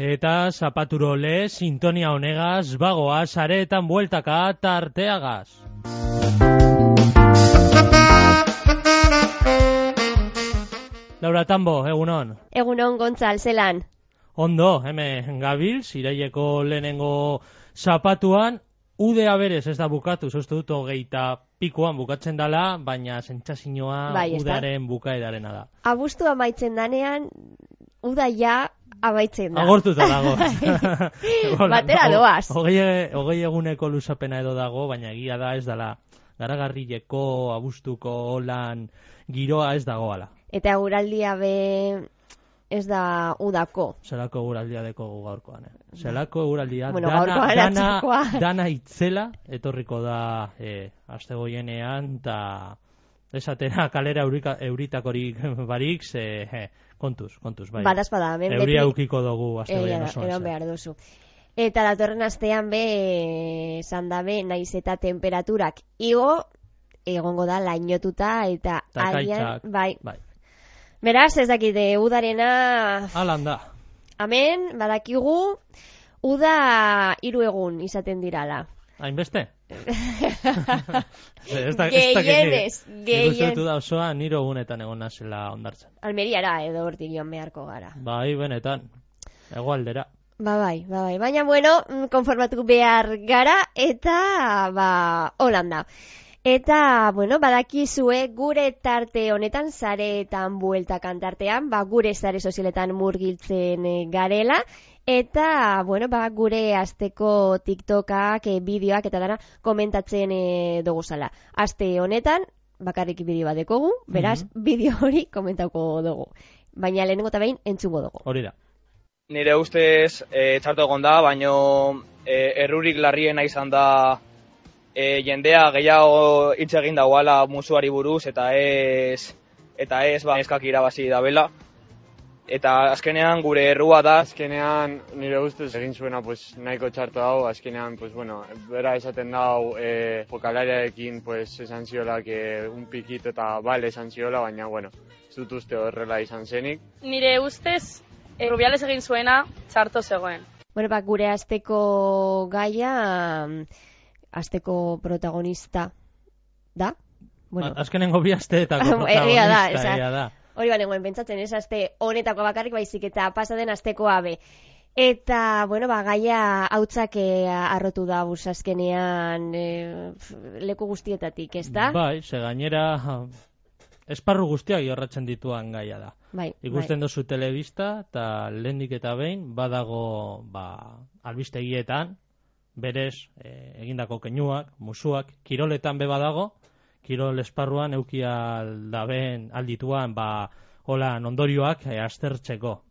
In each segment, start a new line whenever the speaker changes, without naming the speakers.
Eta zapaturo le, sintonia honegaz, bagoaz, areetan bueltaka, tarteagaz. Laura Tambo, egunon.
Egunon, Gontzal, zelan.
Ondo, hemen gabil, ziraileko lehenengo zapatuan, udea berez ez da bukatu, uste dut 20 bukatzen dala, baina sentsazioa
bai,
udearen bukaerarena da.
Abuztua amaitzen danean, uda ja amaitzen da.
Agortuta dago.
Batera doaz.
Hogei eguneko luzapena edo dago, baina egia da ez dala garagarrileko, abuztuko, holan, giroa ez dagoala.
Eta eguraldia be ez da udako.
Zelako eguraldia deko gaurkoan. Zelako eguraldia dana itzela, etorriko da aste goienean, eta esatera kalera euritakorik barik, kontuz, bai.
Badazpada,
euria eukiko dugu aste goien osoan.
Eron behar duzu. Eta datorren astean be, esan dabe, naiz eta temperaturak igo, egongo da lainotuta, eta alian, bai. Beraz, ez dakite, udarena...
Alan da.
Amen, badakigu, uda 3 egun izaten dirala.
Hainbeste?
Gehienez.
Ikustetu da osoa, 3 egunetan egon nazela ondartzen.
Almeriara edo hortik joan beharko gara.
Bai, benetan. Egoaldera.
Bai. Baina, bueno, konformatu behar gara, eta, Holanda. Eta, bueno, badakizue gure tarte honetan, sareetan bueltakan tartean, gure sare sozialetan murgiltzen garela, eta, bueno, gure asteko TikTokak, bideoak eta dara komentatzen dugu zala. Aste honetan, bakarrik bideo bat dekogu, beraz, bideo hori komentauko dugu. Baina lehenengo eta behin entzungo dugu.
Hori da.
Nire ustez, txarto egon da, baino errurik larriena izan da jendea gehiago hitz egin dagoala musuari buruz eta ez eskak irabazi dabela. Eta azkenean gure errua da.
Azkenean nire ustez egin zuena nahiko txarto hau, azkenean bera esaten dau jokalariarekin esan ziola un pikit eta bale esan ziola, baina ez dut uste horrela izan zenik.
Nire ustez Rubiales egin zuena txarto zegoen.
Bueno, gure asteko gaia asteko protagonista da?
Bueno. Azkenengo bi asteetako protagonista da.
Hori banengoen pentsatzen, ez aste honetako bakarrik baizik eta pasaden astekoa be. Eta, bueno, gaia hautzak arrotu da azkenean leku guztietatik, ez da?
Bai, ze gainera esparru guztiak jorratzen dituan gaia da.
Bai,
ikusten dozu telebista eta lehendik eta behin badago albistegietan berez egindako keinuak, musuak, kiroletan beba dago, kirol esparruan eukialdaben aldituan holan ondorioak aztertzeko.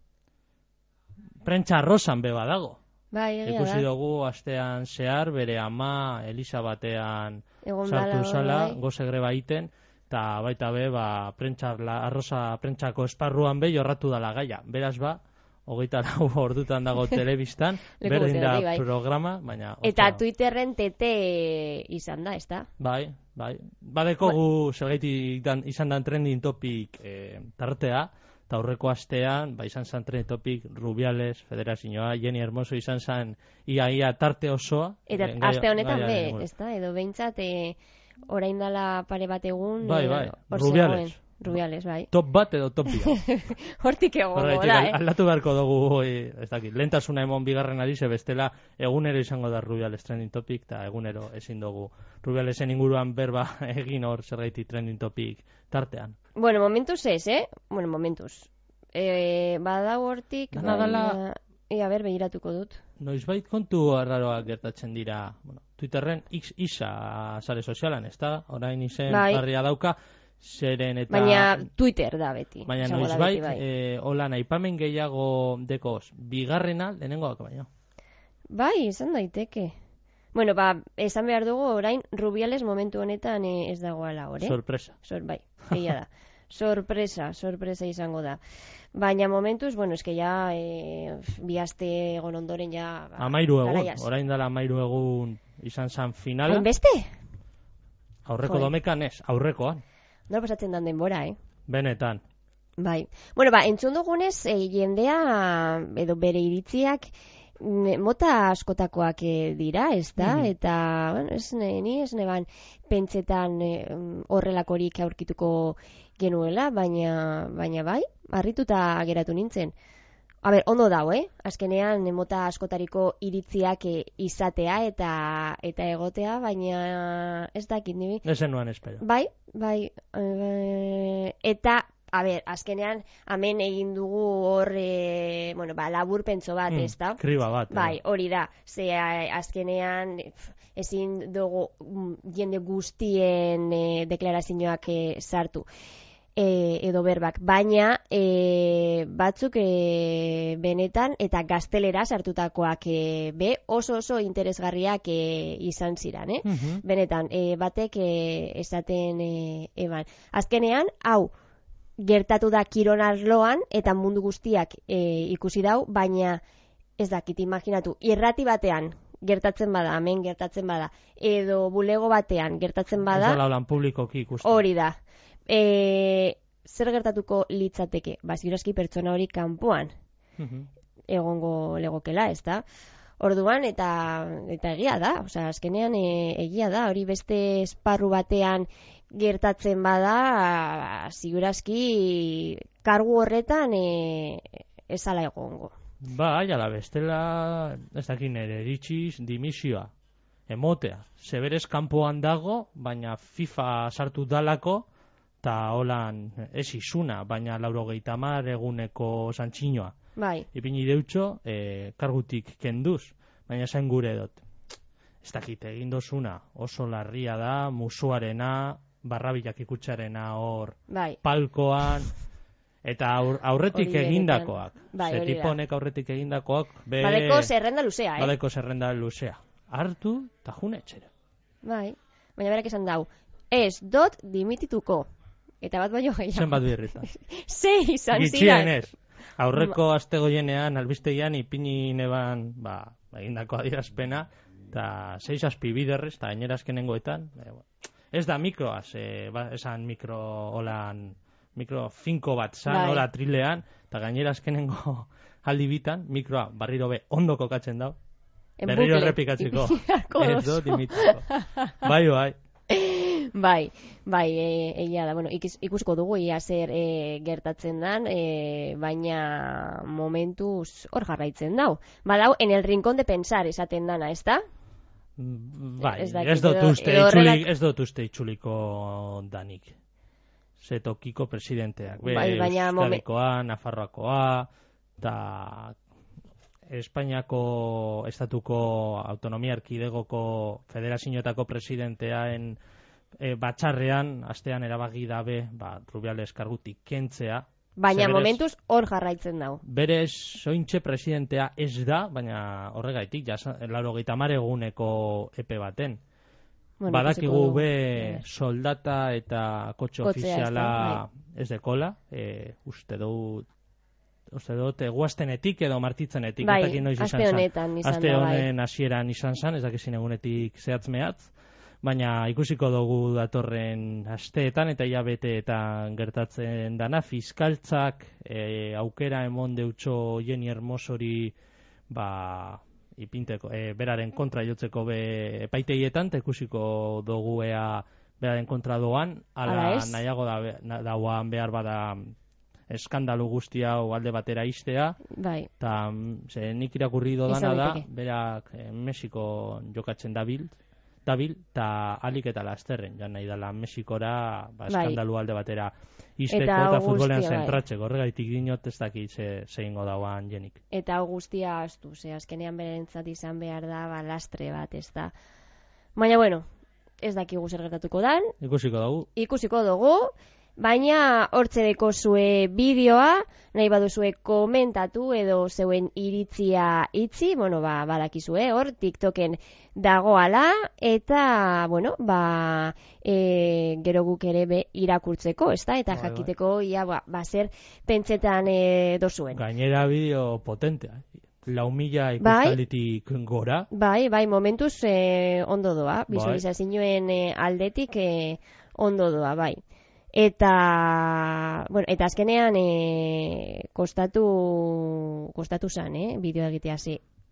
Prentsa arrozan beba dago.
Bai, egia da.
Ikusi dugu astean zehar bere ama Elisa batean sartu zala, goze greba iten, eta baita arroza prentsako esparruan jorratu dala gaia. Beraz 24 ordutan dago telebistan, berdin da programa, baina...
Eta Twitterren tete izan da, ez da?
Bai. Badekogu zergaitik izan dan trending topic tartea, eta aurreko astean, izan zan trending topic Rubiales, Federazioa, Jenni Hermoso izan zan ia tarte osoa.
Eta aste honetan ez da? Edo behintzat orain dala pare bat egun...
Bai, Rubiales,
bai.
Top bat edo top bia.
Hortik egongo da,
Aldatu beharko dugu, ez dakit, lehentasuna emon bigarren ari, bestela egunero izango da Rubiales trending topic, eta egunero ezin dugu Rubialesen inguruan berba egin hor zergaiti trending topic tartean.
Bueno, momentuz ez, Bueno, momentuz. Badau hortik...
Dala...
A ber, begiratuko dut.
Noizbait kontu arraroak gertatzen dira, Twitterren isa sare sozialan, ez da? Orain izen barria dauka, zeren eta...
Baina Twitter da beti.
Baina noizbait, holan aipamen gehiago dekoz, bigarrena lehenengoak baino.
Bai, izan daiteke. Bueno, esan behar dugu orain Rubiales momentu honetan ez dagoela, hori?
Sorpresa.
Bai, egia da. Sorpresa izango da. Baina momentuz, bueno, eske ja bi aste egon ondoren ja...
13 egun, orain dela 13 egun izan zan finala.
Hainbeste?
Aurreko domekan ez, aurrekoan.
Nola pasatzen dan denbora,
Benetan.
Bai. Bueno, entzun dugunez, jendea, edo bere iritziak, mota askotakoak dira, ez da? Eta, bueno, ni ez neban pentsetan horrelakorik aurkituko genuela, baina bai, harrituta geratu nintzen. Ondo dago, Azkenean, mota askotariko iritziak izatea eta egotea, baina ez dakit nibi.
Ezen nuan espero.
Bai. Eta, azkenean, hemen egin dugu hor, labur pentso bat, ez da?
Kriba bat.
Bai, hori da. Ze azkenean, ezin dugu jende guztien deklarazioak sartu. Edo berbak, baina batzuk benetan eta gaztelera sartutakoak oso interesgarriak izan ziren, benetan, batek esaten eban. Azkenean, hau gertatu da Kirol arloan eta mundu guztiak ikusi dau, baina ez dakit imaginatu, irrati batean gertatzen bada, hemen gertatzen bada, edo bulego batean gertatzen bada,
ez da lan publikoki ikusten.
Hori da. Zer gertatuko litzateke? Ziurazki pertsona hori kanpoan egongo legokela, ez da? Orduan, eta egia da, azkenean egia da, hori beste esparru batean gertatzen bada, ziurazki kargu horretan ezala egongo.
Ala bestela, ez dakin ere, eritxiz dimisioa, emotea. Zeberez kanpoan dago, baina FIFA sartu dalako, eta holan ez izuna, baina 90 eguneko santxinoa.
Bai.
Ipini deutxo, kargutik kenduz, baina zain gure dut. Ez dakit, egin dozuna, oso larria da, musuarena, barrabilak ikutsarena hor, palkoan, eta aurretik egindakoak. Zetiponek aurretik egindakoak,
badeko zerrenda luzea,
badeko zerrenda luzea. Hartu, eta june etxera.
Bai, baina berak esan dau, ez dot dimitituko. Eta bat baino gehiago.
Zenbat birritan.
6 izan ziren.
Gitxienez. Aurreko astegoienean, albisteian, ipini neban, egindako adierazpena, eta 6 azpibiderrez, eta gainera azkenengoetan. Ez da mikroaz, esan mikro holan, mikro finko bat zan, hola trilean, eta gainera azkenengo aldi bitan, mikroa barriro be ondo kokatzen dau. Berriro errepikatzeko. Ez do, dimitiko. Bai.
Bai, egia da, ikusiko dugu ia zer gertatzen dan, baina momentuz hor jarraitzen dau. Badau, en el rincón de pensar esaten dana, ez da?
Bai, ez dut uste itxuliko danik. Zetokiko presidenteak. Euskadikoa, Nafarroakoa, eta Espainiako estatuko autonomia erkidegoko federazioetako presidenteaen batxarrean, astean erabaki dabe, Rubiales kargutik kentzea.
Baina momentuz hor jarraitzen dago.
Berez, sointxe presidentea ez da, baina horregaitik, 90 eguneko epe baten. Badakigu be soldata eta kotxe ofiziala ez dekola, uste dut, guaztenetik edo martitzenetik. Aste honen hasieran izan zan, ez dakizin egunetik zehatz mehatz, baina ikusiko dugu datorren asteetan eta hilabeteetan gertatzen dana, fiskaltzak aukera emon deutxo Jenni Hermosori ipinteko, beraren kontra jotzeko epaiteietan, eta ikusiko dugu beraren kontra doan, ala nahiago dauan behar bada eskandalu guzti hau alde batera iztea, eta nik irakurri dodana da, berak Mexiko jokatzen dabil, eta alik eta lasterren, jan nahi dela Mexikora eskandalu alde batera izteko eta futbolean zentratzeko, horregaitik dinot ez dakit zeingo dauan Jenik.
Eta guztia astu, azkenean berentzat izan behar da lastre bat, ez da. Baina, ez dakigu zer gertatuko dan. Ikusiko dugu. Baina hortze deko zue bideoa, nahi baduzue komentatu edo zeuen iritzia itzi, badakizue hor, TikToken dagoala, eta, gero guk ere irakurtzeko, ez da? Eta jakiteko, zer pentsetan dozuen.
Gainera bideo potentea, 4.000 ikustalitik gora.
Bai, momentuz ondo doa, bizualizazioen aldetik ondo doa, bai. Eta, bueno, eta azkenean kostatu zan, bideoa egitea,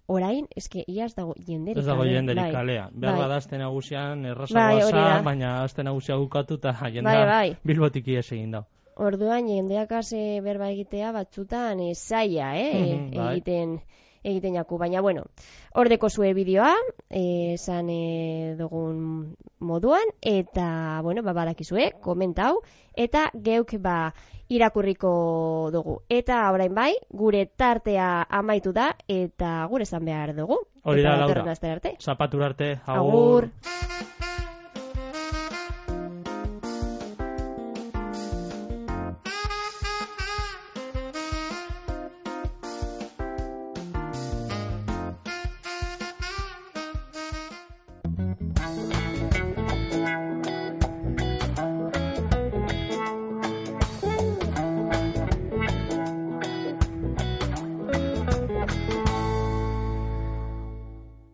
orain, eske, iaz dago jenderik.
Ez dago jenderik kalea. Behar bada azte nagusian errazagoa baina azte nagusia bukatu eta jendea Bilbotik ies egin dau.
Orduan, jendeak berba egitea batzutan zaila, egiten jaku. Baina, bueno, hordeko zue bideoa, esan dugun moduan, eta, bueno, badakizue, komentau, eta geuk irakurriko dugu. Eta orain bai, gure tartea amaitu da, eta gure zan behar dugu.
Hori da, Laura. Zapatura arte, agur.